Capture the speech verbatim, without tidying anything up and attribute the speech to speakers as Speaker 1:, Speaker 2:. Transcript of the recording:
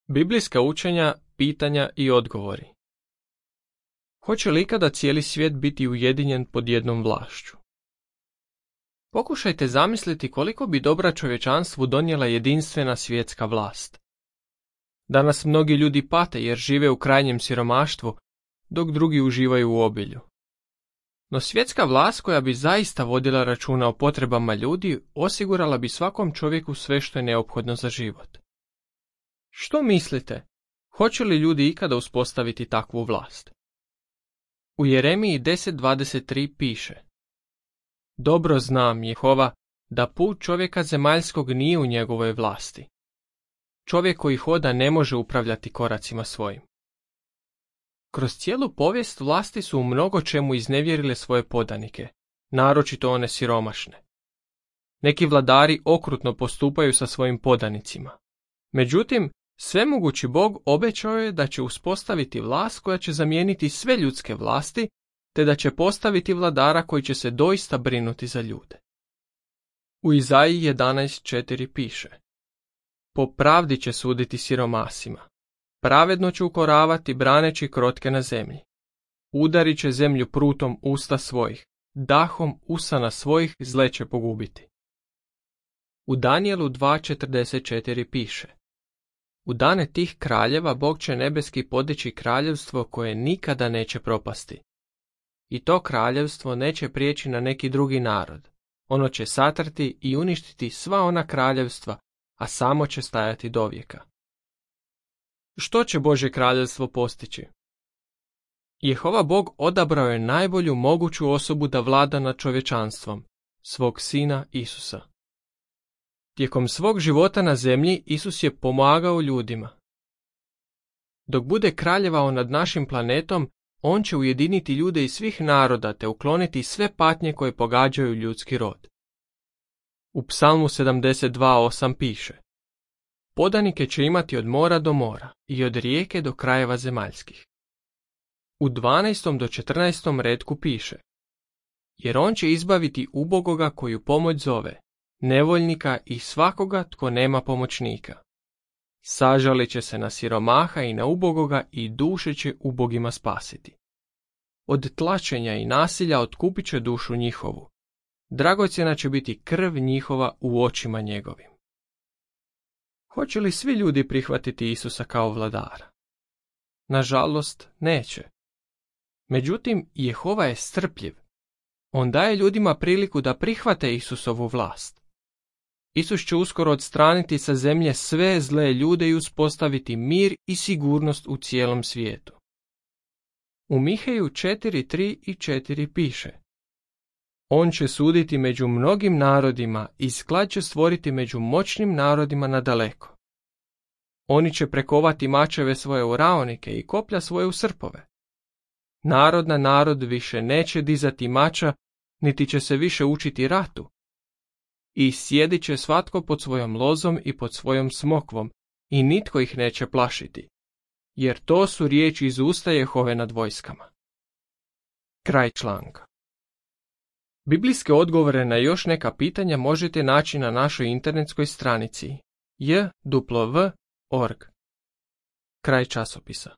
Speaker 1: Biblijska učenja, pitanja i odgovori. Hoće li ikada cijeli svijet biti ujedinjen pod jednom vlašću? Pokušajte zamisliti koliko bi dobra čovječanstvu donijela jedinstvena svjetska vlast. Danas mnogi ljudi pate jer žive u krajnjem siromaštvu, dok drugi uživaju u obilju. No svjetska vlast koja bi zaista vodila računa o potrebama ljudi osigurala bi svakom čovjeku sve što je neophodno za život. Što mislite? Hoće li ljudi ikada uspostaviti takvu vlast? U Jeremiji deset dvadeset tri piše: Dobro znam, Jehova, da put čovjeka zemaljskog nije u njegovoj vlasti. Čovjek koji hoda ne može upravljati koracima svojim. Kroz cijelu povijest vlasti su u mnogo čemu iznevjerile svoje podanike, naročito one siromašne. Neki vladari okrutno postupaju sa svojim podanicima. Međutim, svemogući Bog obećao je da će uspostaviti vlast koja će zamijeniti sve ljudske vlasti, te da će postaviti vladara koji će se doista brinuti za ljude. U Izaiji jedanaest četiri piše: Po pravdi će suditi siromasima, pravedno će ukoravati braneći krotke na zemlji. Udarit će zemlju prutom usta svojih, dahom usana svojih zle će pogubiti. U Danijelu dva četrdeset četiri piše: U dane tih kraljeva Bog će nebeski podići kraljevstvo koje nikada neće propasti. I to kraljevstvo neće prijeći na neki drugi narod. Ono će satrti i uništiti sva ona kraljevstva, a samo će stajati dovijeka. Što će Božje kraljevstvo postići? Jehova Bog odabrao je najbolju moguću osobu da vlada nad čovječanstvom, svog sina Isusa. Tijekom svog života na zemlji Isus je pomagao ljudima. Dok bude kraljevao nad našim planetom, on će ujediniti ljude iz svih naroda te ukloniti sve patnje koje pogađaju ljudski rod. U Psalmu sedamdeset dva osam piše: Podanike će imati od mora do mora i od rijeke do krajeva zemaljskih. U dvanaestom do četrnaestom retku piše: Jer on će izbaviti ubogoga koju pomoć zove, nevoljnika i svakoga tko nema pomoćnika. Sažalit će se na siromaha i na ubogoga i duše će ubogima spasiti. Od tlačenja i nasilja otkupit će dušu njihovu. Dragocjena će biti krv njihova u očima njegovim. Hoće li svi ljudi prihvatiti Isusa kao vladara? Nažalost, neće. Međutim, Jehova je strpljiv. On daje ljudima priliku da prihvate Isusovu vlast. Isus će uskoro odstraniti sa zemlje sve zle ljude i uspostaviti mir i sigurnost u cijelom svijetu. U Miheju četiri tri i četiri piše: On će suditi među mnogim narodima i sklad će stvoriti među moćnim narodima nadaleko. Oni će prekovati mačeve svoje u raonike i koplja svoje u srpove. Narod na narod više neće dizati mača, niti će se više učiti ratu. I sjedit će svatko pod svojom lozom i pod svojom smokvom, i nitko ih neće plašiti, jer to su riječi iz usta Jehove nad vojskama. Kraj članka. Biblijske odgovore na još neka pitanja možete naći na našoj internetskoj stranici j w w punkt org. Kraj časopisa.